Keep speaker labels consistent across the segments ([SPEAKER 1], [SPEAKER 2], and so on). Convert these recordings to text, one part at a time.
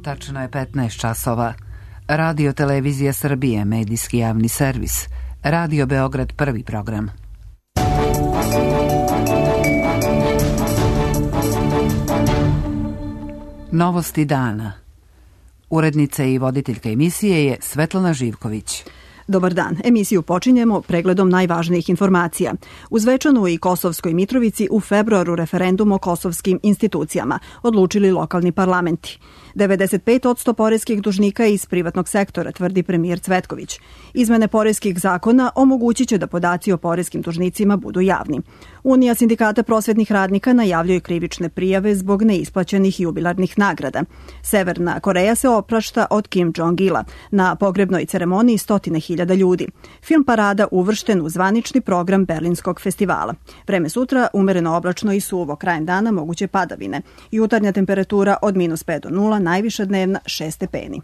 [SPEAKER 1] Tačno je 15 časova. Radio Televizija Srbije, medijski javni servis. Radio Beograd, prvi program. Novosti dana. Urednica i voditeljka emisije je Svetlana Živković.
[SPEAKER 2] Dobar dan. Emisiju počinjemo pregledom najvažnijih informacija. U Zvečanu i Kosovskoj Mitrovici u februaru referendum o kosovskim institucijama odlučili lokalni parlamenti. 95% poreskih dužnika iz privatnog sektora, tvrdi premijer Cvetković. Izmene poreskih zakona omogućit će da podaci o poreskim dužnicima budu javni. Unija sindikata prosvetnih radnika najavljuje krivične prijave zbog neisplaćenih jubilarnih nagrada. Severna Koreja se oprašta od Kim Jong-ila. Na pogrebnoj ceremoniji 100.000 ljudi. Film Parada uvršten u zvanični program Berlinskog festivala. Vreme sutra umereno oblačno i suvo, krajem dana moguće padavine. Jutarnja temperatura od -5 do 0, najviša dnevna 6 stepeni.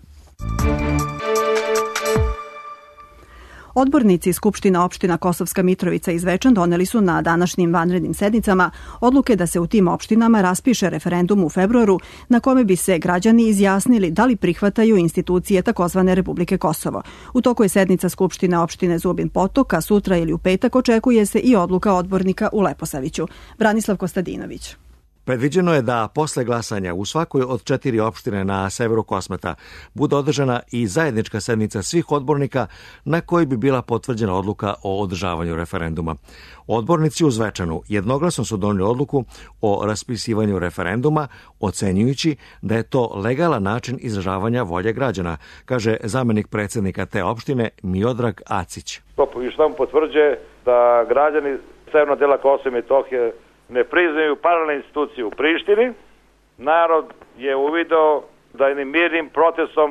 [SPEAKER 2] Odbornici Skupština opština Kosovska Mitrovica i Zvečan doneli su na današnjim vanrednim sednicama odluke da se u tim opštinama raspiše referendum u februaru na kome bi se građani izjasnili da li prihvataju institucije takozvane Republike Kosovo. U toku je sednica Skupštine opštine Zubin Potok, a sutra ili u petak očekuje se i odluka odbornika u Leposaviću. Branislav Kostadinović.
[SPEAKER 3] Predviđeno je da posle glasanja u svakoj od 4 opštine na severu Kosmeta bude održana i zajednička sednica svih odbornika na kojoj bi bila potvrđena odluka o održavanju referenduma. Odbornici u Zvečanu jednoglasno su doneli odluku o raspisivanju referenduma, ocenjujući da je to legalan način izražavanja volje građana, kaže zamenik predsednika te opštine Miodrag Acić.
[SPEAKER 4] To još tamo potvrđuje da građani severnog dela Kosova i Metohije ne priznaju paralelne institucije u Prištini. Narod je uvideo da jednim mirnim protestom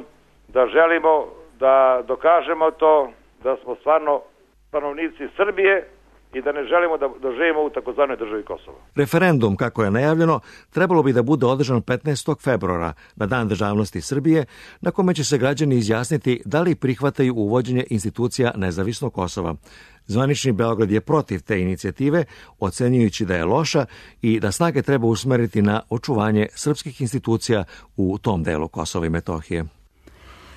[SPEAKER 4] da želimo da dokažemo to da smo stvarno stanovnici Srbije i da ne želimo da živimo u takozvanoj državi Kosovo.
[SPEAKER 3] Referendum, kako je najavljeno, trebalo bi da bude održan 15. februara, na Dan državnosti Srbije, na kome će se građani izjasniti da li prihvataju uvođenje institucija nezavisnog Kosova. Zvanični Beograd je protiv te inicijative, ocenjujući da je loša i da snage treba usmeriti na očuvanje srpskih institucija u tom delu Kosova i Metohije.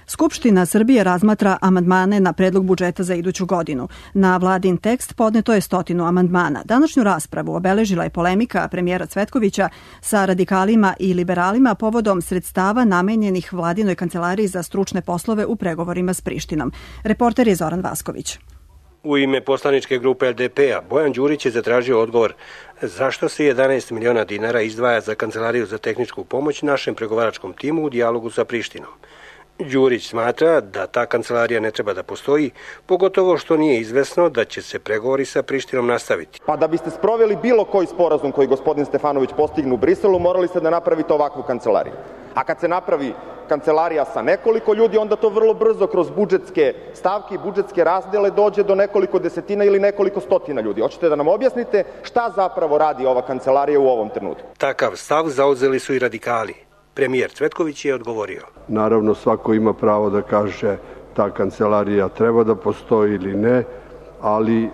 [SPEAKER 2] Skupština Srbije razmatra amandmane na predlog budžeta za iduću godinu. Na vladin tekst podneto je 100 amandmana. Današnju raspravu obeležila je polemika premijera Cvetkovića sa radikalima i liberalima povodom sredstava namenjenih vladinoj kancelariji za stručne poslove u pregovorima s Prištinom. Reporter je Zoran Vasković.
[SPEAKER 5] U ime poslaničke grupe LDP-a Bojan Đurić je zatražio odgovor zašto se 11 miliona dinara izdvaja za kancelariju za tehničku pomoć našem pregovaračkom timu u dijalogu sa Prištinom. Đurić smatra da ta kancelarija ne treba da postoji, pogotovo što nije izvesno da će se pregovori sa Prištinom nastaviti.
[SPEAKER 6] Pa da biste sproveli bilo koji sporazum koji gospodin Stefanović postigne u Briselu, morali ste da napravite ovakvu kancelariju. A kad se napravi kancelarija sa nekoliko ljudi, onda to vrlo brzo kroz budžetske stavke i budžetske razdele dođe do nekoliko desetina ili nekoliko stotina ljudi. Hoćete da nam objasnite šta zapravo radi ova kancelarija u ovom trenutku?
[SPEAKER 5] Takav stav zauzeli su i radikali. Premijer Cvetković je odgovorio.
[SPEAKER 7] Naravno, svako ima pravo da kaže ta kancelarija treba da postoji ili ne, ali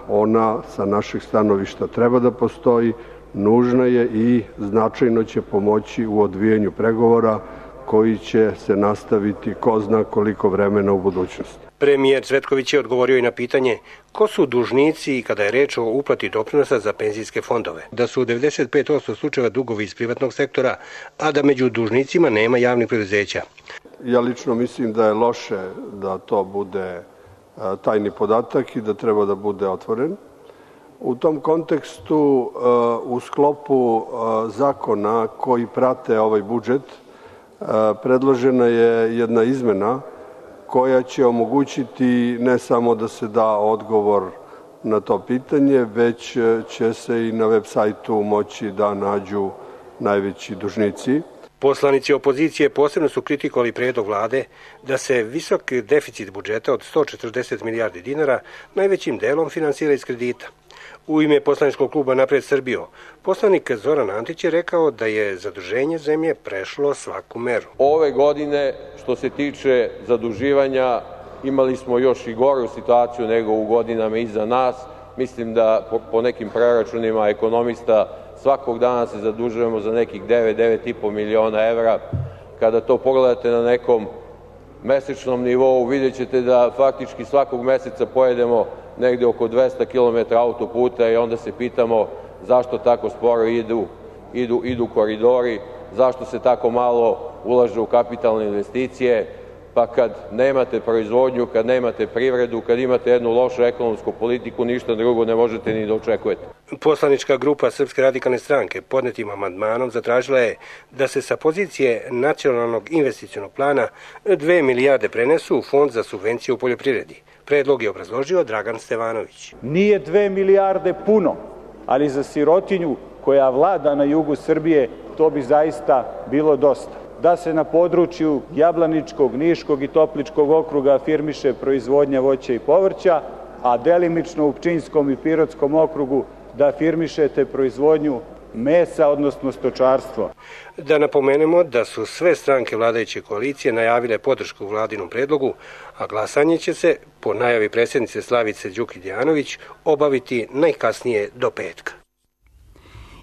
[SPEAKER 7] ona sa našeg stanovišta treba da postoji, nužna je i značajno će pomoći u odvijanju pregovora koji će se nastaviti ko zna koliko vremena u budućnosti.
[SPEAKER 5] Premijer Cvetković je odgovorio i na pitanje ko su dužnici i kada je reč o uplati doprinosa za penzijske fondove. Da su u 95% slučajeva dugovi iz privatnog sektora, a da među dužnicima nema javnih preduzeća.
[SPEAKER 7] Ja lično mislim da je loše da to bude tajni podatak i da treba da bude otvoren. U tom kontekstu, u sklopu zakona koji prate ovaj budžet, predložena je jedna izmena koja će omogućiti ne samo da se da odgovor na to pitanje, već će se i na web sajtu moći da nađu najveći dužnici.
[SPEAKER 5] Poslanici opozicije posebno su kritikovali predlog vlade da se visok deficit budžeta od 140 milijardi dinara najvećim delom finansira iz kredita. U ime poslaničkog kluba Napred Srbijo, poslanik Zoran Antić je rekao da je zaduženje zemlje prešlo svaku meru.
[SPEAKER 8] Ove godine, što se tiče zaduživanja, imali smo još i goru situaciju nego u godinama iza nas. Mislim da po nekim preračunima ekonomista svakog dana se zadužujemo za nekih 9,5 miliona evra. kada to pogledate na nekom mesečnom nivou, vidjet ćete da faktički svakog meseca pojedemo negde oko 200 km autoputa i onda se pitamo zašto tako sporo idu koridori, zašto se tako malo ulaže u kapitalne investicije, pa kad nemate proizvodnju, kad nemate privredu, kad imate jednu lošu ekonomsku politiku, ništa drugo ne možete ni da očekujete.
[SPEAKER 5] Poslanička grupa Srpske radikalne stranke podnetim amandmanom zatražila je da se sa pozicije nacionalnog investicionog plana 2 milijarde prenesu u Fond za subvencije u poljoprivredi. Predlog je obrazložio Dragan Stevanović.
[SPEAKER 9] Nije 2 milijarde puno, ali za sirotinju koja vlada na jugu Srbije to bi zaista bilo dosta. Da se na području Jablaničkog, Niškog i Topličkog okruga afirmiše proizvodnja voća i povrća, a delimično u Pčinjskom i Pirotskom okrugu da afirmišete proizvodnju mesa, odnosno stočarstvo.
[SPEAKER 5] Da napomenemo da su sve stranke vladajuće koalicije najavile podršku vladinom predlogu, a glasanje će se, po najavi predsjednice Slavice Đukić-Dejanović, obaviti najkasnije do petka.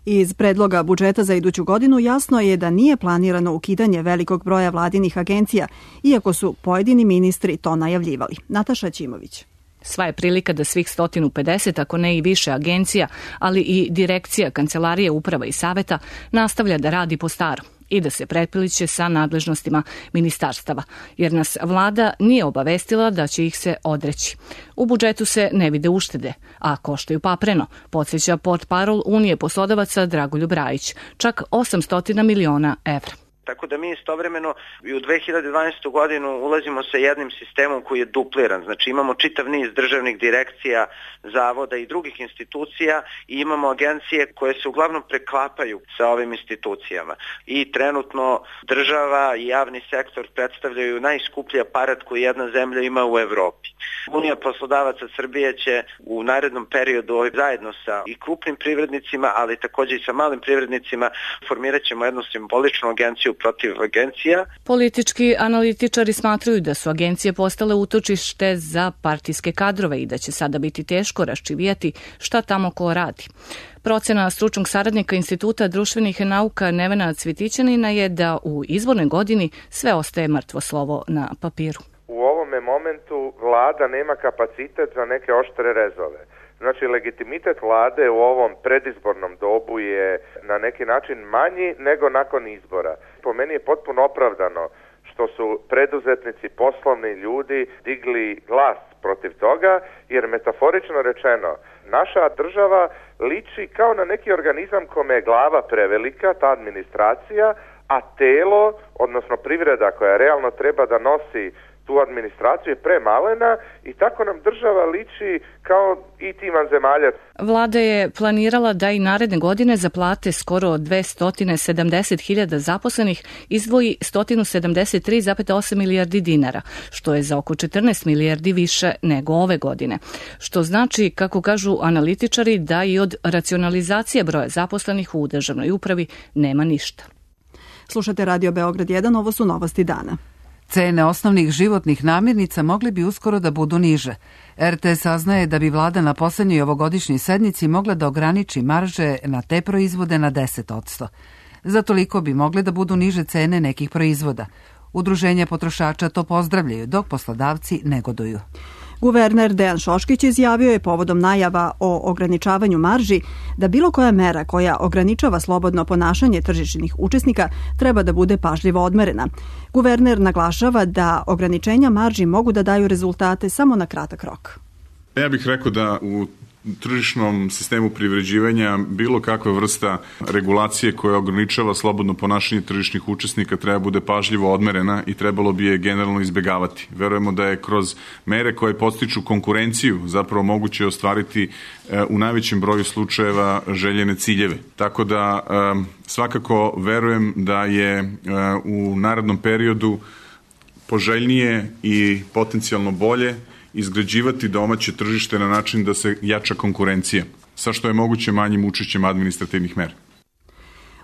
[SPEAKER 2] Iz predloga budžeta za iduću godinu jasno je da nije planirano ukidanje velikog broja vladinih agencija, iako su pojedini ministri to najavljivali. Nataša Ćimović.
[SPEAKER 10] Sva je prilika da svih 150, ako ne i više agencija, ali i direkcija, kancelarije, uprava i saveta nastavlja da radi po starom i da se prepiliće sa nadležnostima ministarstava, jer nas vlada nije obavestila da će ih se odreći. U budžetu se ne vide uštede, a koštaju papreno, podsjeća portparol Unije poslodavaca Dragoljub Rajić, čak 800 miliona evra.
[SPEAKER 11] Tako da mi istovremeno i u 2012. godinu ulazimo sa jednim sistemom koji je dupliran. Znači imamo čitav niz državnih direkcija, zavoda i drugih institucija i imamo agencije koje se uglavnom preklapaju sa ovim institucijama. I trenutno država i javni sektor predstavljaju najskuplji aparat koji jedna zemlja ima u Evropi. Unija poslodavaca Srbije će u narednom periodu zajedno sa i krupnim privrednicima, ali također i sa malim privrednicima formirat ćemo jednu simboličnu agenciju protiv agencija.
[SPEAKER 10] Politički analitičari smatraju da su agencije postale utočište za partijske kadrove i da će sada biti teško raščivijati šta tamo ko radi. Procena stručnog saradnika Instituta društvenih nauka Nevena Cvitićanina je da u izbornoj godini sve ostaje mrtvo slovo na papiru.
[SPEAKER 12] U ovome momentu vlada nema kapacitet za neke oštre rezove. Znači, legitimitet vlade u ovom predizbornom dobu je na neki način manji nego nakon izbora. Po meni je potpuno opravdano što su preduzetnici, poslovni ljudi digli glas protiv toga, jer metaforično rečeno, naša država liči kao na neki organizam kome je glava prevelika, ta administracija, a telo, odnosno privreda koja realno treba da nosi tu administraciju je premalena i tako nam država liči kao i tim vanzemaljac.
[SPEAKER 10] Vlada je planirala da i naredne godine za plate skoro 270.000 zaposlenih izdvoji 173,8 milijardi dinara, što je za oko 14 milijardi više nego ove godine. Što znači, kako kažu analitičari, da i od racionalizacije broja zaposlenih u državnoj upravi nema ništa.
[SPEAKER 2] Slušate Radio Beograd 1, ovo su novosti dana.
[SPEAKER 1] Cene osnovnih životnih namirnica mogli bi uskoro da budu niže. RTS saznaje da bi vlada na poslednjoj ovogodišnjoj sednici mogla da ograniči marže na te proizvode na 10%. Za toliko bi mogle da budu niže cene nekih proizvoda. Udruženja potrošača to pozdravljaju, dok poslodavci negoduju.
[SPEAKER 2] Guverner Dejan Šoškić izjavio je povodom najava o ograničavanju marži da bilo koja mera koja ograničava slobodno ponašanje tržišnih učesnika treba da bude pažljivo odmerena. Guverner naglašava da ograničenja marži mogu da daju rezultate samo na kratak rok.
[SPEAKER 13] Ja bih rekao da u tržišnom sistemu privređivanja bilo kakva vrsta regulacije koja ograničava slobodno ponašanje tržišnih učesnika treba bude pažljivo odmerena i trebalo bi je generalno izbegavati. Verujemo da je kroz mere koje podstiču konkurenciju zapravo moguće ostvariti u najvećem broju slučajeva željene ciljeve. Tako da svakako verujem da je u narednom periodu poželjnije i potencijalno bolje izgrađivati domaće tržište na način da se jača konkurencija, sa što je moguće manjim učešćem administrativnih mera.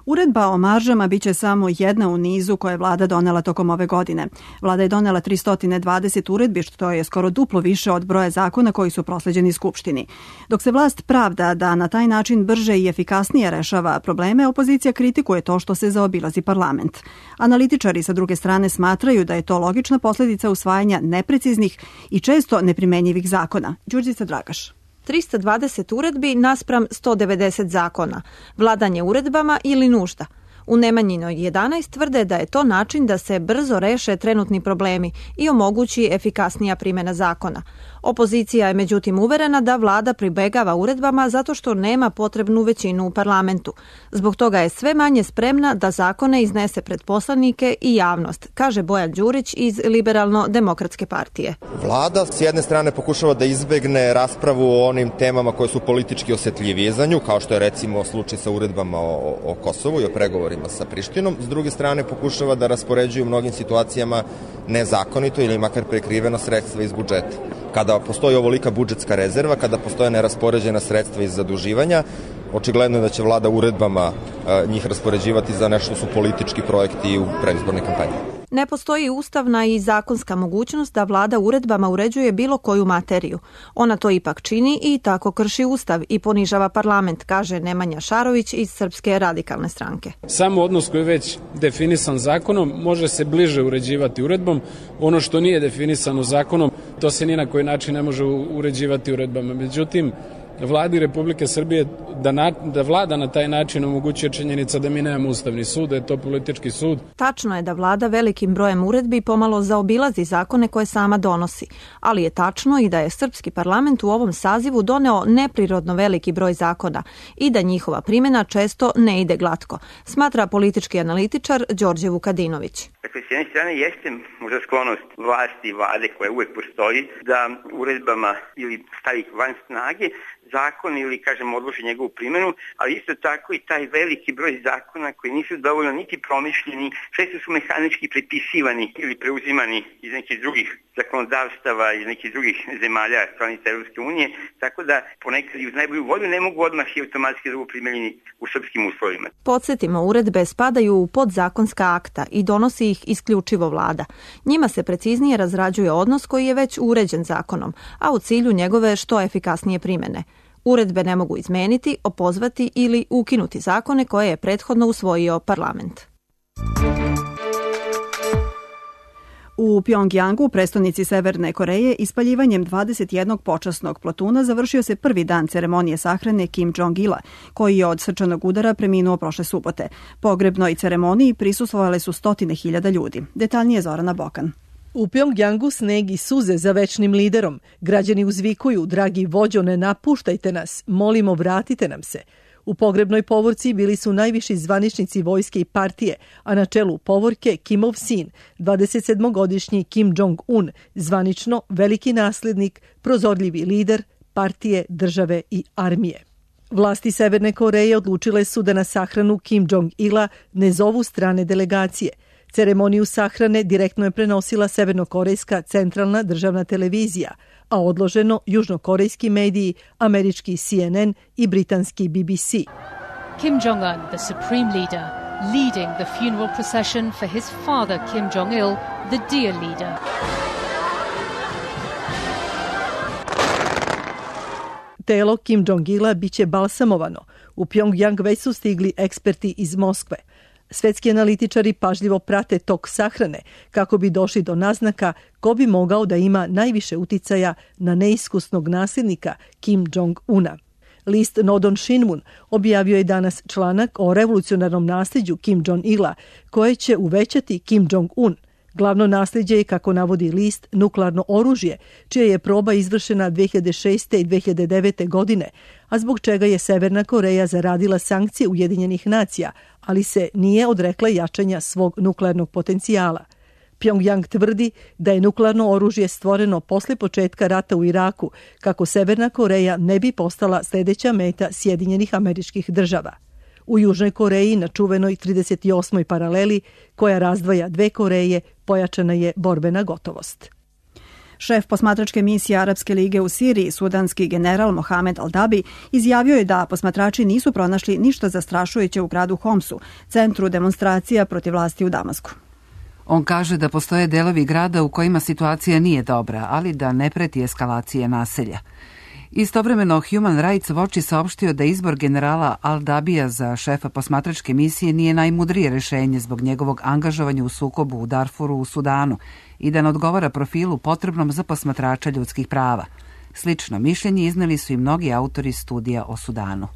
[SPEAKER 2] Uredba o maržama biće samo jedna u nizu koje je vlada donela tokom ove godine. Vlada je donela 320 uredbi, što je skoro duplo više od broja zakona koji su prosleđeni Skupštini. Dok se vlast pravda da na taj način brže i efikasnije rešava probleme, opozicija kritikuje to što se zaobilazi parlament. Analitičari sa druge strane smatraju da je to logična posledica usvajanja nepreciznih i često neprimenjivih zakona. Đurđica Dragaš.
[SPEAKER 14] 320 uredbi naspram 190 zakona, vladanje uredbama ili nužda. U Nemanjinoj 11 tvrde da je to način da se brzo reše trenutni problemi i omogući efikasnija primjena zakona. Opozicija je međutim uverena da vlada pribegava uredbama zato što nema potrebnu većinu u parlamentu. Zbog toga je sve manje spremna da zakone iznese pred poslanike i javnost, kaže Bojan Đurić iz Liberalno-demokratske partije.
[SPEAKER 6] Vlada s jedne strane pokušava da izbegne raspravu o onim temama koje su politički osetljivije za nju, kao što je recimo slučaj sa uredbama o Kosovu i o pregovorima sa Prištinom. S druge strane pokušava da raspoređuje u mnogim situacijama nezakonito ili makar prekriveno sredstva iz budžeta. Kada postoji ovolika budžetska rezerva, kada postoje neraspoređena sredstva iz zaduživanja, očigledno je da će vlada uredbama njih raspoređivati za nešto su politički projekti u predizbornoj kampanji.
[SPEAKER 14] Ne postoji ustavna i zakonska mogućnost da vlada uredbama uređuje bilo koju materiju. Ona to ipak čini i tako krši ustav i ponižava parlament, kaže Nemanja Šarović iz Srpske radikalne stranke.
[SPEAKER 15] Samo odnos koji je već definisan zakonom može se bliže uređivati uredbom. Ono što nije definisano zakonom, to se ni na koji način ne može uređivati uredbama. Međutim, Vladi Republike Srbije da vlada na taj način omogućuje činjenica da mi nemamo ustavni sud, da je to politički sud.
[SPEAKER 14] Tačno je da vlada velikim brojem uredbi pomalo zaobilazi zakone koje sama donosi, ali je tačno i da je srpski parlament u ovom sazivu doneo neprirodno veliki broj zakona i da njihova primjena često ne ide glatko, smatra politički analitičar Đorđe Vukadinović.
[SPEAKER 16] Dakle, s jedne strane jeste možda sklonost vlasti i vlade koja uvek postoji da uredbama ili stavi van snage zakon ili, odloži njegovu primjenu, ali isto tako i taj veliki broj zakona koji nisu dovoljno niti promišljeni, često su mehanički prepisivani ili preuzimani iz nekih drugih zakonodavstava iz nekih drugih zemalja članica Europske unije, tako da ponekad i uz najbolju volju ne mogu odmah i automatski da budu primjenjeni u srpskim uslovima.
[SPEAKER 14] Podsjetimo, uredbe spadaju u podzakonska akta i donosi ih isključivo vlada. Njima se preciznije razrađuje odnos koji je već uređen zakonom, a u cilju njegove što efikasnije primjene. Uredbe ne mogu izmeniti, opozvati ili ukinuti zakone koje je prethodno usvojio parlament.
[SPEAKER 2] U Pjongjangu, prestonici Severne Koreje, ispaljivanjem 21 počasnog plotuna završio se prvi dan ceremonije sahrane Kim Jong-ila, koji je od srčanog udara preminuo prošle subote. Pogrebnoj ceremoniji prisustvovale su 100.000 ljudi. Detaljnije Zorana Bokan.
[SPEAKER 17] U Pjongjangu sneg i suze za večnim liderom. Građani uzvikuju, dragi vođo, ne napuštajte nas, molimo, vratite nam se. U pogrebnoj povorci bili su najviši zvaničnici vojske i partije, a na čelu povorke Kimov sin, 27-godišnji Kim Jong-un, zvanično veliki nasljednik, prozorljivi lider partije, države i armije. Vlasti Severne Koreje odlučile su da na sahranu Kim Jong-ila ne zovu strane delegacije. Ceremoniju sahrane direktno je prenosila severnokorejska centralna državna televizija, a odloženo južnokorejski mediji, američki CNN i britanski BBC.
[SPEAKER 18] Kim Jong-un, the supreme leader, leading the funeral procession for his father Kim Jong-il, the dear leader.
[SPEAKER 17] Telo Kim Jong-ila biće balsamovano. U Pjongjang već su stigli eksperti iz Moskve. Svetski analitičari pažljivo prate tok sahrane kako bi došli do naznaka ko bi mogao da ima najviše uticaja na neiskusnog nasljednika Kim Jong-una. List Nodon Shinmun objavio je danas članak o revolucionarnom nasljeđu Kim Jong-ila koje će uvećati Kim Jong-un. Glavno nasljeđe je, kako navodi list, nuklearno oružje, čija je proba izvršena 2006. i 2009. godine, a zbog čega je Severna Koreja zaradila sankcije Ujedinjenih nacija, ali se nije odrekla jačanja svog nuklearnog potencijala. Pjongjang tvrdi da je nuklearno oružje stvoreno posle početka rata u Iraku, kako Severna Koreja ne bi postala sljedeća meta Sjedinjenih Američkih Država. U Južnoj Koreji, na čuvenoj 38. paraleli, koja razdvaja dve Koreje, pojačana je borbena gotovost.
[SPEAKER 2] Šef posmatračke misije Arapske lige u Siriji, sudanski general Mohamed Al-Dabi, izjavio je da posmatrači nisu pronašli ništa zastrašujuće u gradu Homsu, centru demonstracija protiv vlasti u Damasku.
[SPEAKER 1] On kaže da postoje delovi grada u kojima situacija nije dobra, ali da ne preti eskalacije naselja. Istovremeno, Human Rights Watch je saopštio da izbor generala Al-Dabija za šefa posmatračke misije nije najmudrije rešenje zbog njegovog angažovanja u sukobu u Darfuru u Sudanu i da ne odgovara profilu potrebnom za posmatrača ljudskih prava. Slično mišljenje izneli su i mnogi autori studija o Sudanu.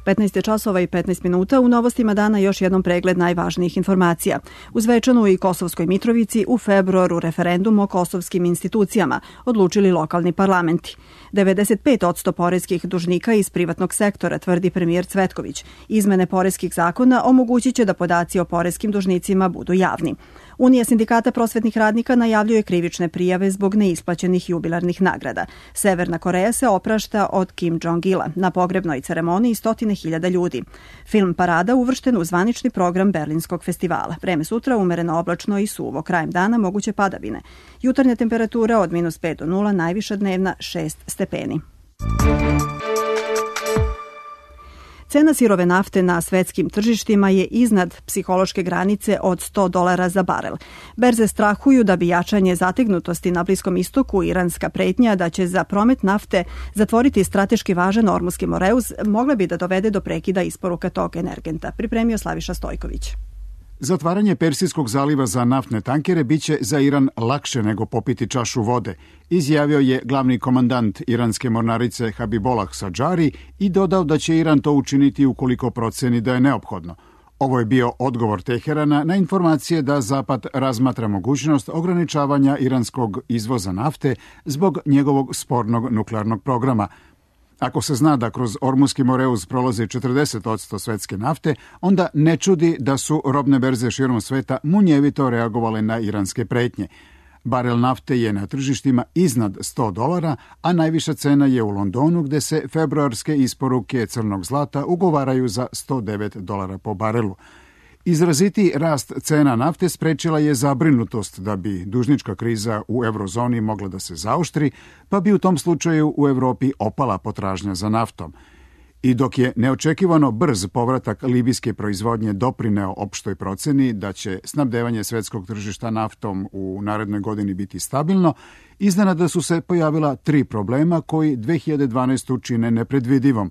[SPEAKER 2] 15 časova i 15 minuta. U novostima dana još jednom pregled najvažnijih informacija. U Zvečanu i Kosovskoj Mitrovici u februaru referendum o kosovskim institucijama odlučili lokalni parlamenti. 95% poreskih dužnika iz privatnog sektora, tvrdi premijer Cvetković. Izmene poreskih zakona omogućit će da podaci o poreskim dužnicima budu javni. Unija sindikata prosvetnih radnika najavljuje krivične prijave zbog neisplaćenih jubilarnih nagrada. Severna Koreja se oprašta od Kim Jong-ila. Na pogrebnoj ceremoniji 100.000 ljudi. Film Parada uvršten u zvanični program Berlinskog festivala. Vreme sutra umereno oblačno i suvo. Krajem dana moguće padavine. Jutarnja temperatura od -5 do 0, najviša dnevna 6 stepeni. Cena sirove nafte na svetskim tržištima je iznad psihološke granice od $100 za barel. Berze strahuju da bi jačanje zategnutosti na Bliskom istoku i iranska pretnja da će za promet nafte zatvoriti strateški važan Ormuski Moreus mogla bi da dovede do prekida isporuka tog energenta, pripremio Slaviša Stojković.
[SPEAKER 19] Zatvaranje Persijskog zaliva za naftne tankere biće za Iran lakše nego popiti čašu vode, izjavio je glavni komandant iranske mornarice Habibollah Sadžari i dodao da će Iran to učiniti ukoliko proceni da je neophodno. Ovo je bio odgovor Teherana na informacije da Zapad razmatra mogućnost ograničavanja iranskog izvoza nafte zbog njegovog spornog nuklearnog programa. Ako se zna da kroz Ormuski Moreus prolazi 40% svetske nafte, onda ne čudi da su robne berze širom sveta munjevito reagovale na iranske pretnje. Barel nafte je na tržištima iznad $100, a najviša cena je u Londonu gde se februarske isporuke crnog zlata ugovaraju za $109 po barelu. Izraziti rast cena nafte sprečila je zabrinutost da bi dužnička kriza u eurozoni mogla da se zaoštri, pa bi u tom slučaju u Evropi opala potražnja za naftom. I dok je neočekivano brz povratak libijske proizvodnje doprineo opštoj proceni da će snabdevanje svetskog tržišta naftom u narednoj godini biti stabilno, iznenada su se pojavila 3 problema koji 2012. čine nepredvidivom.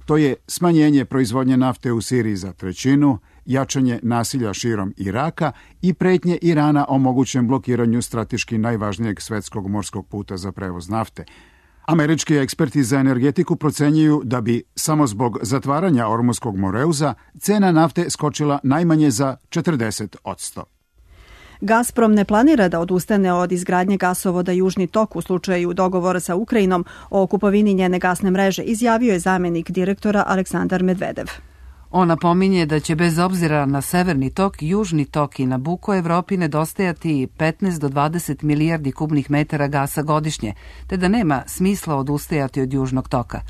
[SPEAKER 19] To je smanjenje proizvodnje nafte u Siriji za 1/3, jačanje nasilja širom Iraka i pretnje Irana o mogućem blokiranju strateški najvažnijeg svetskog morskog puta za prevoz nafte. Američki eksperti za energetiku procenjuju da bi samo zbog zatvaranja Ormuskog Moreuza cena nafte skočila najmanje za 40%.
[SPEAKER 2] Gazprom ne planira da odustane od izgradnje gasovoda Južni tok u slučaju dogovora sa Ukrajinom o kupovini njene gasne mreže, izjavio je zamenik direktora Aleksandar Medvedev.
[SPEAKER 1] On napominje da će bez obzira na Severni tok, Južni tok i Nabucco Evropi nedostajati 15 do 20 milijardi kubnih metara gasa godišnje, te da nema smisla odustajati od Južnog toka.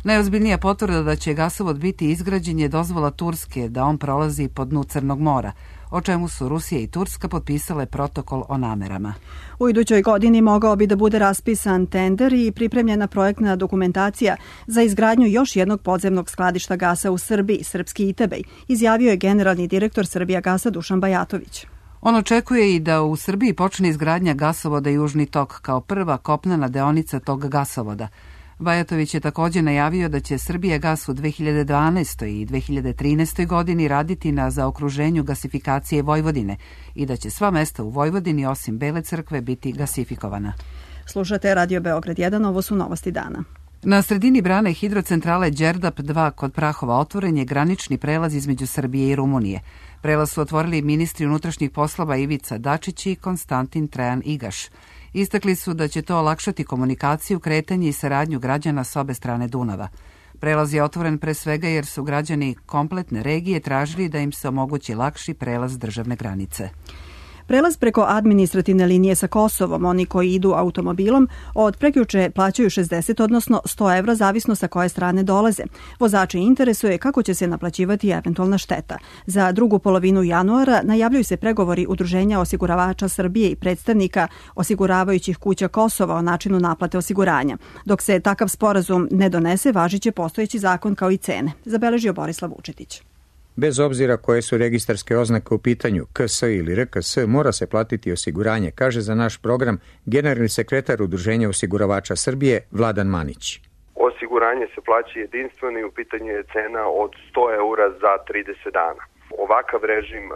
[SPEAKER 1] Najozbiljnija potvrda da će gasovod biti izgrađen je dozvola Turske da on prolazi po dnu Crnog mora, o čemu su Rusija i Turska potpisale protokol o namerama.
[SPEAKER 2] U idućoj godini mogao bi da bude raspisan tender i pripremljena projektna dokumentacija za izgradnju još jednog podzemnog skladišta gasa u Srbiji, Srpski Itebej, izjavio je generalni direktor Srbijagasa Dušan Bajatović.
[SPEAKER 1] On očekuje i da u Srbiji počne izgradnja gasovoda Južni tok kao prva kopnena deonica tog gasovoda. Bajatović je također najavio da će Srbijagas u 2012. i 2013. godini raditi na zaokruženju gasifikacije Vojvodine i da će sva mesta u Vojvodini osim Bele crkve biti gasifikovana.
[SPEAKER 2] Slušate Radio Beograd 1, ovo su novosti dana.
[SPEAKER 1] Na sredini brane hidrocentrale Đerdap 2 kod Prahova otvoren je granični prelaz između Srbije i Rumunije. Prelaz su otvorili ministri unutrašnjih poslova Ivica Dačić i Konstantin Trajan Igaš. Istakli su da će to olakšati komunikaciju, kretanje i saradnju građana s obe strane Dunava. Prelaz je otvoren pre svega jer su građani kompletne regije tražili da im se omogući lakši prelaz državne granice.
[SPEAKER 2] Prelaz preko administrativne linije sa Kosovom, oni koji idu automobilom, od prekjuče plaćaju 60, odnosno 100 evra, zavisno sa koje strane dolaze. Vozači interesuje kako će se naplaćivati eventualna šteta. Za drugu polovinu januara najavljuju se pregovori Udruženja osiguravača Srbije i predstavnika osiguravajućih kuća Kosova o načinu naplate osiguranja. Dok se takav sporazum ne donese, važiće postojeći zakon kao i cene, zabeležio Borislav Vučetić.
[SPEAKER 20] Bez obzira koje su registarske oznake u pitanju, KS ili RKS, mora se platiti osiguranje, kaže za naš program generalni sekretar Udruženja osiguravača Srbije Vladan Manić.
[SPEAKER 21] Osiguranje se plaća jedinstveno i u pitanju je cena od 100 eura za 30 dana. Ovakav režim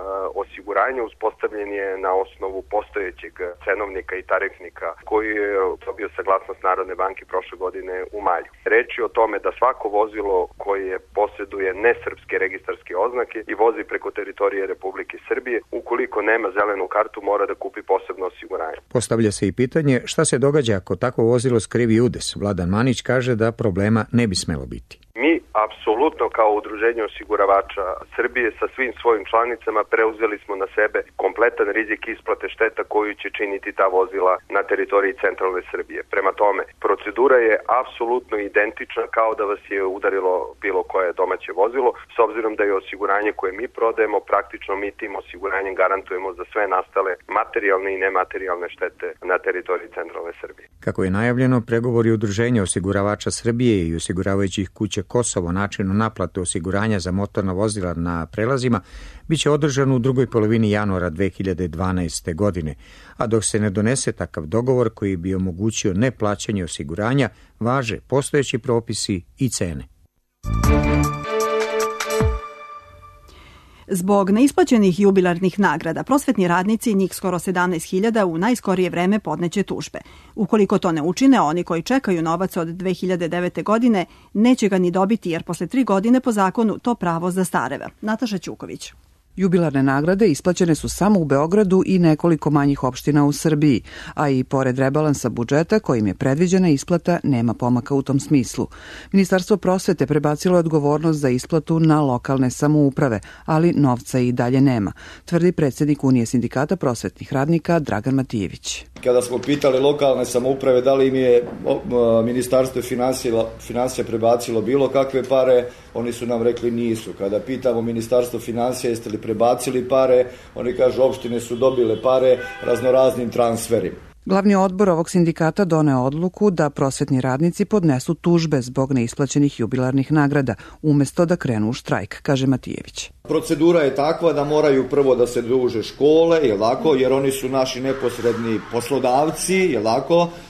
[SPEAKER 21] osiguranja uspostavljen je na osnovu postojećeg cenovnika i tarifnika koji je dobio saglasnost Narodne banke prošle godine u maju. Reč je o tome da svako vozilo koje posjeduje nesrpske registarske oznake i vozi preko teritorije Republike Srbije, ukoliko nema zelenu kartu, mora da kupi posebno osiguranje.
[SPEAKER 20] Postavlja se i pitanje šta se događa ako takvo vozilo skrivi udes. Vladan Manić kaže da problema ne bi smelo biti.
[SPEAKER 21] Mi apsolutno kao Udruženje osiguravača Srbije sa svim svojim članicama preuzeli smo na sebe kompletan rizik isplate šteta koju će činiti ta vozila na teritoriji centralne Srbije. Prema tome, procedura je apsolutno identična kao da vas je udarilo bilo koje domaće vozilo, s obzirom da je osiguranje koje mi prodajemo, praktično mi tim osiguranjem garantujemo za sve nastale materijalne i nematerijalne štete na teritoriji centralne Srbije.
[SPEAKER 20] Kako je najavljeno, pregovori Udruženja osiguravača Srbije i osiguravajućih kuća Kosovo o načinu naplate osiguranja za motorna vozila na prelazima biće održan u drugoj polovini januara 2012. godine, a dok se ne donese takav dogovor koji bi omogućio neplaćanje osiguranja, važe postojeći propisi i cene.
[SPEAKER 2] Zbog neisplaćenih jubilarnih nagrada, prosvetni radnici, njih skoro 17.000, u najskorije vreme podneće tužbe. Ukoliko to ne učine, oni koji čekaju novac od 2009. godine neće ga ni dobiti, jer posle 3 godine po zakonu to pravo zastareva. Nataša Ćuković.
[SPEAKER 1] Jubilarne nagrade isplaćene su samo u Beogradu i nekoliko manjih opština u Srbiji, a i pored rebalansa budžeta kojim je predviđena isplata, nema pomaka u tom smislu. Ministarstvo prosvete prebacilo odgovornost za isplatu na lokalne samouprave, ali novca i dalje nema, tvrdi predsjednik Unije sindikata prosvetnih radnika Dragan Matijević.
[SPEAKER 22] Kada smo pitali lokalne samouprave da li im je Ministarstvo finansija prebacilo bilo kakve pare, oni su nam rekli nisu. Kada pitamo Ministarstvo finansija jeste li prebacili pare, oni kažu opštine su dobile pare raznoraznim transferima.
[SPEAKER 1] Glavni odbor ovog sindikata doneo odluku da prosvetni radnici podnesu tužbe zbog neisplaćenih jubilarnih nagrada, umesto da krenu u štrajk, kaže Matijević.
[SPEAKER 22] Procedura je takva da moraju prvo da se druže škole, jer oni su naši neposredni poslodavci,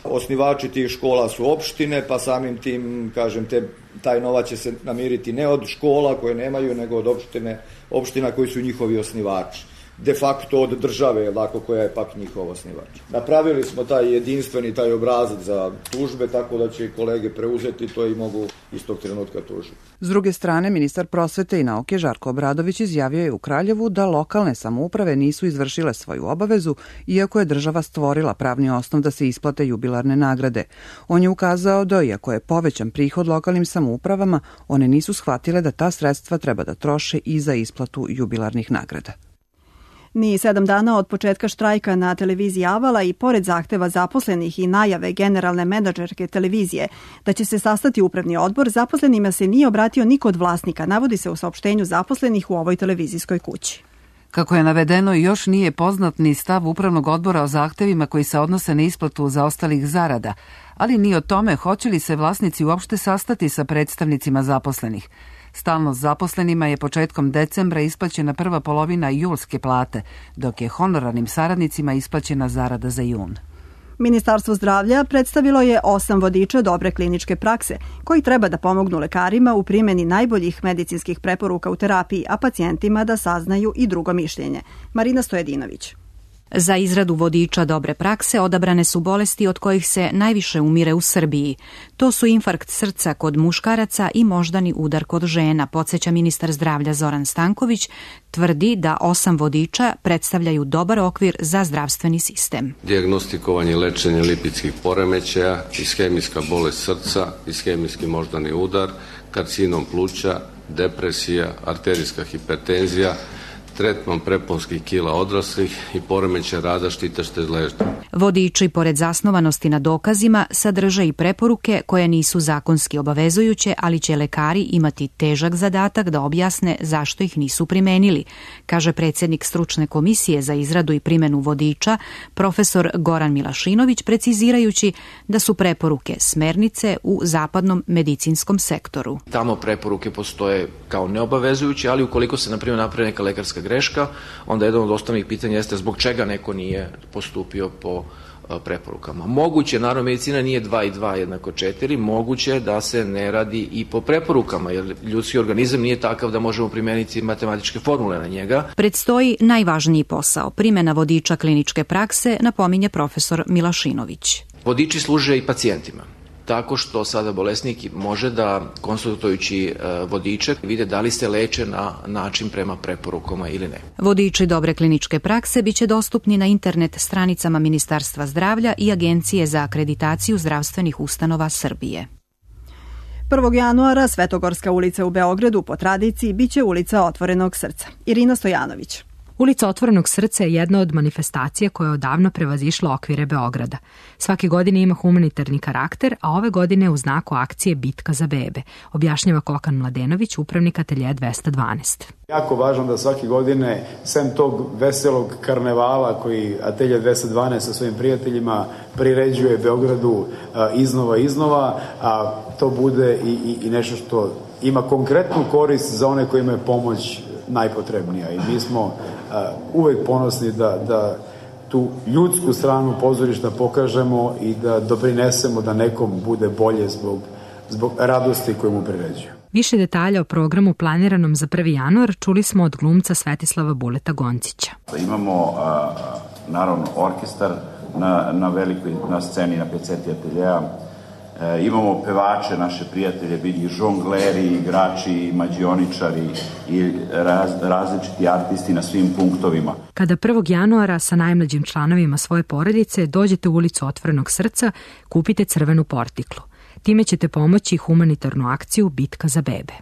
[SPEAKER 22] osnivači tih škola su opštine, pa samim tim, taj novac će se namiriti ne od škola koje nemaju, nego od opština koji su njihovi osnivači. De facto od države, koja je pak njihov osnivač. Napravili smo taj jedinstveni obrazac za tužbe, tako da će kolege preuzeti to i mogu istog trenutka tužiti.
[SPEAKER 1] S druge strane, ministar prosvete i nauke Žarko Obradović izjavio je u Kraljevu da lokalne samouprave nisu izvršile svoju obavezu, iako je država stvorila pravni osnov da se isplate jubilarne nagrade. On je ukazao da, iako je povećan prihod lokalnim samoupravama, one nisu shvatile da ta sredstva treba da troše i za isplatu jubilarnih nagrada.
[SPEAKER 2] Ni 7 dana od početka štrajka na televiziji Avala i pored zahteva zaposlenih i najave generalne menadžerke televizije da će se sastati upravni odbor, zaposlenima se nije obratio niko od vlasnika, navodi se u saopštenju zaposlenih u ovoj televizijskoj kući.
[SPEAKER 1] Kako je navedeno, još nije poznat ni stav upravnog odbora o zahtevima koji se odnose na isplatu zaostalih zarada, ali ni o tome hoće li se vlasnici uopšte sastati sa predstavnicima zaposlenih. Stalno zaposlenima je početkom decembra isplaćena prva polovina julske plate, dok je honorarnim saradnicima isplaćena zarada za jun.
[SPEAKER 2] Ministarstvo zdravlja predstavilo je 8 vodiča dobre kliničke prakse, koji treba da pomognu lekarima u primjeni najboljih medicinskih preporuka u terapiji, a pacijentima da saznaju i drugo mišljenje. Marina Stojedinović.
[SPEAKER 23] Za izradu vodiča dobre prakse odabrane su bolesti od kojih se najviše umire u Srbiji. To su infarkt srca kod muškaraca i moždani udar kod žena, podsjeća ministar zdravlja Zoran Stanković, tvrdi da 8 vodiča predstavljaju dobar okvir za zdravstveni sistem.
[SPEAKER 24] Dijagnostikovanje i lečenje lipidskih poremećaja, ishemijska bolest srca, ishemijski moždani udar, karcinom pluća, depresija, arterijska hipertenzija, tretman preponskih kila odraslih i poremećaj rada štitašte ležnje.
[SPEAKER 23] Vodiči, pored zasnovanosti na dokazima, sadrže i preporuke koje nisu zakonski obavezujuće, ali će lekari imati težak zadatak da objasne zašto ih nisu primenili, kaže predsjednik stručne komisije za izradu i primjenu vodiča, profesor Goran Milašinović, precizirajući da su preporuke smernice u zapadnom medicinskom sektoru.
[SPEAKER 3] Tamo preporuke postoje kao neobavezujuće, ali ukoliko se, na primjer, napravi neka lekarska greška, onda jedan od osnovnih pitanja jeste zbog čega neko nije postupio po preporukama. Moguće, naravno, medicina nije 2 i 2 jednako 4, moguće da se ne radi i po preporukama, jer ljudski organizam nije takav da možemo primeniti matematičke formule na njega.
[SPEAKER 23] Predstoji najvažniji posao, primjena vodiča kliničke prakse, napominje profesor Milašinović.
[SPEAKER 3] Vodiči služe i pacijentima, tako što sada bolesnik može da, konsultujući vodiče, vide da li se leče na način prema preporukama ili ne.
[SPEAKER 23] Vodiči dobre kliničke prakse biće dostupni na internet stranicama Ministarstva zdravlja i Agencije za akreditaciju zdravstvenih ustanova Srbije.
[SPEAKER 2] 1. januara Svetogorska ulica u Beogradu po tradiciji biće ulica Otvorenog srca. Irina Stojanović.
[SPEAKER 4] Ulica Otvorenog srca je jedna od manifestacija koja je odavno prevazišla okvire Beograda. Svake godine ima humanitarni karakter, a ove godine u znaku akcije Bitka za bebe, objašnjava Kokan Mladenović, upravnik ateljeja 212.
[SPEAKER 7] Jako važno da svake godine, sem tog veselog karnevala koji atelje 212 sa svojim prijateljima priređuje Beogradu iznova, a to bude i nešto što ima konkretnu korist za one koji imaju pomoć najpotrebnija. I mi smo uvek ponosni da tu ljudsku stranu pozorišta pokažemo i da doprinesemo da nekom bude bolje zbog radosti koju mu priređuju.
[SPEAKER 4] Više detalja o programu planiranom za 1. januar čuli smo od glumca Svetislava Buleta Goncića.
[SPEAKER 8] Imamo naravno orkestar na sceni na peceti ateljeja. Imamo pevače, naše prijatelje, i žongleri, igrači, mađioničari i različiti artisti na svim punktovima.
[SPEAKER 4] Kada 1. januara sa najmlađim članovima svoje porodice dođete u ulicu Otvorenog srca, kupite crvenu portiklu. Time ćete pomoći humanitarnu akciju Bitka za bebe.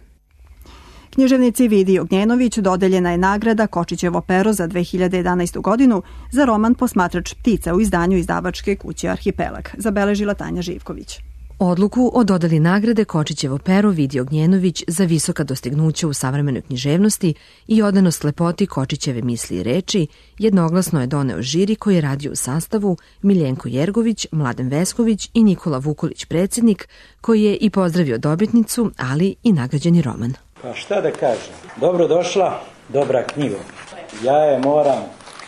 [SPEAKER 2] Književnici Vidi Ognjenović dodeljena je nagrada Kočićevo pero za 2011. godinu za roman Posmatrač ptica u izdanju izdavačke kuće Arhipelag, zabeležila Tanja Živković.
[SPEAKER 23] Odluku o dodeli nagrade Kočićevo pero Vidi Ognjenović za visoka dostignuća u savremenoj književnosti i odanost lepoti Kočićeve misli i reči jednoglasno je doneo žiri koji je radio u sastavu Miljenko Jergović, Mladen Vesković i Nikola Vukolić predsjednik, koji je i pozdravio dobitnicu, ali i nagrađeni roman.
[SPEAKER 25] Pa šta da kažem, dobro došla, dobra knjiga. Ja je moram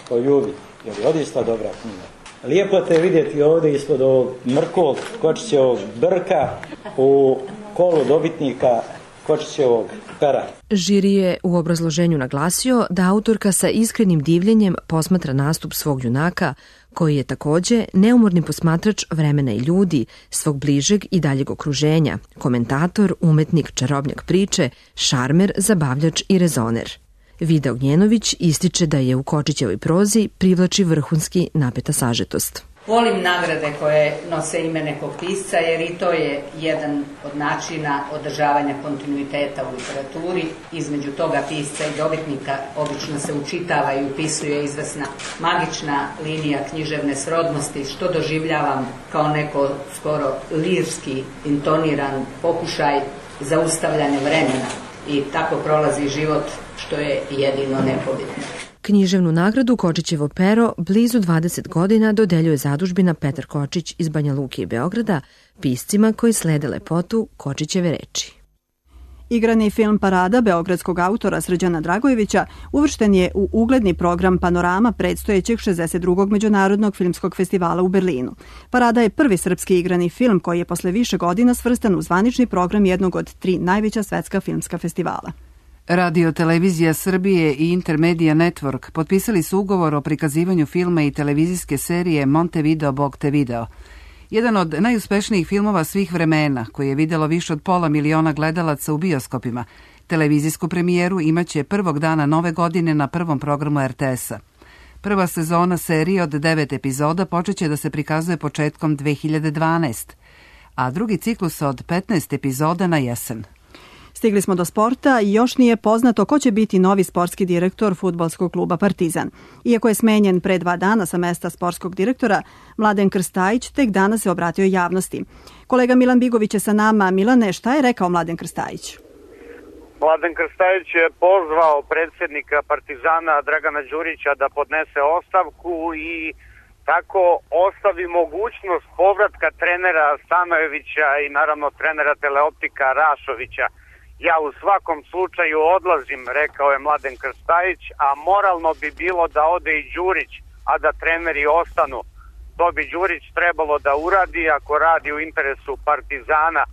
[SPEAKER 25] poljubiti, jer je odista dobra knjiga. Lijepo te vidjeti ovdje ispod ovog mrkog Kočićevog brka u kolu dobitnika Kočićevog pera.
[SPEAKER 23] Žiri je u obrazloženju naglasio da autorka sa iskrenim divljenjem posmatra nastup svog junaka, koji je također neumorni posmatrač vremena i ljudi, svog bližeg i daljeg okruženja, komentator, umetnik, čarobnjak priče, šarmer, zabavljač i rezoner. Vida Ognjenović ističe da je u Kočićevoj prozi privlači vrhunski napeta sažetost.
[SPEAKER 26] Volim nagrade koje nose ime nekog pisca, jer i to je jedan od načina održavanja kontinuiteta u literaturi. Između toga pisca i dobitnika obično se učitava i upisuje izvesna magična linija književne srodnosti, što doživljavam kao neko skoro lirski intoniran pokušaj zaustavljanja vremena. I tako prolazi život, što je jedino nepobitno.
[SPEAKER 23] Književnu nagradu Kočićevo pero blizu 20 godina dodeljuje zadužbina Petar Kočić iz Banja Luke i Beograda piscima koji slede lepotu Kočićeve reči.
[SPEAKER 2] Igrani film Parada beogradskog autora Srđana Dragojevića uvršten je u ugledni program Panorama predstojećeg 62. Međunarodnog filmskog festivala u Berlinu. Parada je prvi srpski igrani film koji je posle više godina svrstan u zvanični program jednog od 3 najveća svetska filmska festivala.
[SPEAKER 1] Radio Televizija Srbije i Intermedia Network potpisali su ugovor o prikazivanju filma i televizijske serije Montevideo Bog te video. Jedan od najuspešnijih filmova svih vremena, koji je vidjelo više od 500 miliona gledalaca u bioskopima. Televizijsku premijeru imaće prvog dana nove godine na prvom programu RTS-a. Prva sezona serije od 9 epizoda počeće da se prikazuje početkom 2012, a drugi ciklus od 15 epizoda na jesen.
[SPEAKER 2] Stigli smo do sporta i još nije poznato ko će biti novi sportski direktor fudbalskog kluba Partizan. Iako je smenjen pre 2 dana sa mesta sportskog direktora, Mladen Krstajić tek danas se obratio javnosti. Kolega Milan Bigović je sa nama. Milane, šta je rekao Mladen Krstajić?
[SPEAKER 5] Mladen Krstajić je pozvao predsjednika Partizana Dragana Đurića da podnese ostavku i tako ostavi mogućnost povratka trenera Stanojevića i naravno trenera Teleoptika Rašovića. Ja u svakom slučaju odlazim, rekao je Mladen Krstajić, a moralno bi bilo da ode i Đurić, a da treneri ostanu. To bi Đurić trebalo da uradi ako radi u interesu Partizana.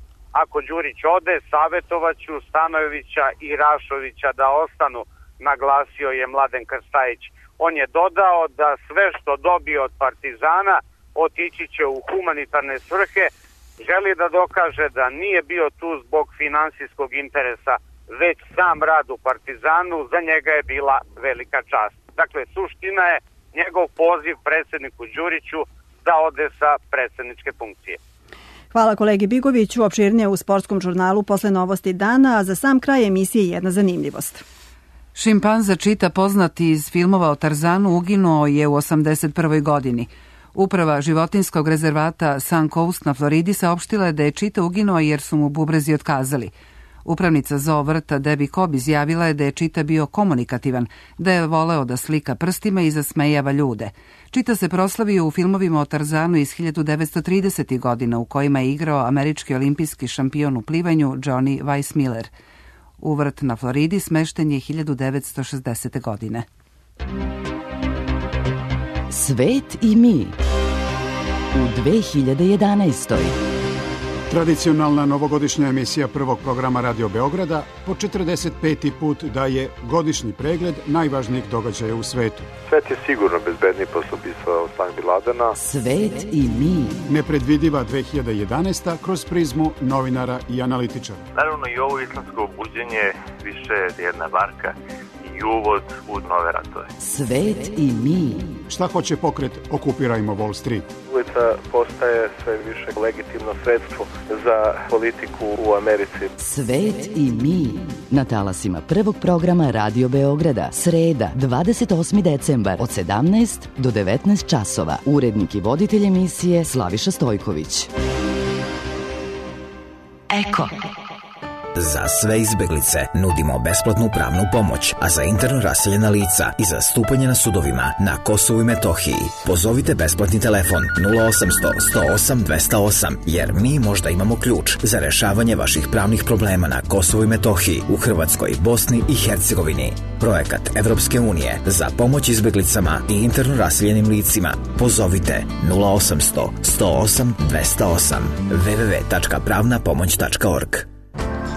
[SPEAKER 5] Ako Đurić ode, savjetovaću Stanojevića i Rašovića da ostanu, naglasio je Mladen Krstajić. On je dodao da sve što dobije od Partizana otići će u humanitarne svrhe. Želi da dokaže da nije bio tu zbog finansijskog interesa, već sam rad u Partizanu za njega je bila velika čast. Dakle, suština je njegov poziv predsjedniku Đuriću da ode sa predsjedničke funkcije.
[SPEAKER 2] Hvala kolegi Bigoviću. Opširnije u sportskom žurnalu posle novosti dana, a za sam kraj emisije jedna zanimljivost.
[SPEAKER 1] Šimpanza Čita, poznati iz filmova o Tarzanu, uginuo je u 81. godini. Uprava životinskog rezervata Sun Coast na Floridi saopštila je da je Čita uginuo jer su mu bubrezi otkazali. Upravnica zoo vrta Debbie Cobb izjavila je da je Čita bio komunikativan, da je voleo da slika prstima i zasmejava ljude. Čita se proslavio u filmovima o Tarzanu iz 1930. godina u kojima je igrao američki olimpijski šampion u plivanju Johnny Weissmuller. U vrt na Floridi smešten je 1960. godine.
[SPEAKER 9] Svet i mi u 2011.
[SPEAKER 19] Tradicionalna novogodišnja emisija prvog programa Radio Beograda po 45. put daje godišnji pregled najvažnijih događaja u svetu.
[SPEAKER 10] Svet je sigurno bezbedniji posle ubistva Osama Bin Ladena.
[SPEAKER 9] Svet i mi.
[SPEAKER 19] Nepredvidiva 2011. kroz prizmu novinara i analitičara.
[SPEAKER 11] Naravno i ovo islamsko buđenje više je jedna varka i uvod u nove ratove.
[SPEAKER 9] Svet i mi.
[SPEAKER 19] Šta hoće pokret Okupirajmo Wall Street?
[SPEAKER 10] Ulica postaje sve više legitimno sredstvo za politiku u Americi.
[SPEAKER 9] Svet i mi. Na talasima prvog programa Radio Beograda. Sreda, 28. decembar od 17 do 19 časova. Urednik i voditelj emisije Slaviša Stojković.
[SPEAKER 12] Eko. Za sve izbeglice nudimo besplatnu pravnu pomoć, a za interno raseljena lica i za stupanje na sudovima na Kosovu i Metohiji pozovite besplatni telefon 0800 108 208, jer mi možda imamo ključ za rešavanje vaših pravnih problema na Kosovu i Metohiji, u Hrvatskoj, Bosni i Hercegovini. Projekat Evropske unije za pomoć izbeglicama i interno raseljenim licima. Pozovite 0800 108 208 www.pravnapomoć.org.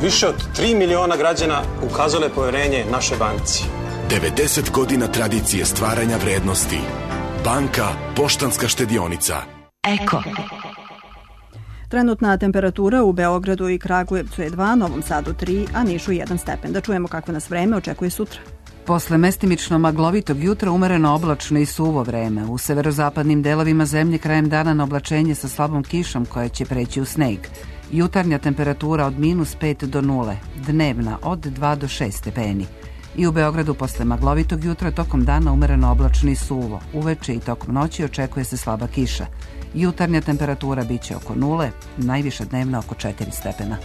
[SPEAKER 13] Više od 3 miliona građana ukazalo je poverenje našoj banci.
[SPEAKER 27] 90 godina tradicije stvaranja vrednosti. Banka Poštanska štedionica.
[SPEAKER 9] Eko.
[SPEAKER 2] Trenutna temperatura u Beogradu i Kragujevcu je 2, Novom Sadu 3, a Nišu 1 stepen. Da čujemo kakvo nas vreme očekuje sutra.
[SPEAKER 1] Posle mestimično maglovitog jutra umereno oblačno i suvo vreme. U severozapadnim delovima zemlje krajem dana na oblačenje sa slabom kišom koja će preći u sneg. Jutarnja temperatura od -5 do 0, dnevna od 2 do 6 stepeni. I u Beogradu posle maglovitog jutra tokom dana umereno oblačno i suvo. Uveče i tokom noći očekuje se slaba kiša. Jutarnja temperatura biće oko 0, najviša dnevna oko 4 stepena.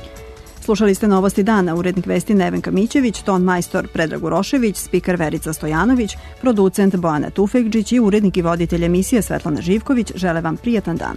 [SPEAKER 2] Slušali ste novosti dana, urednik vesti Nevenka Mićević, ton majstor Predrag Urošević, spiker Verica Stojanović, producent Bojana Tufekđić i urednik i voditelj emisije Svetlana Živković žele vam prijatan dan.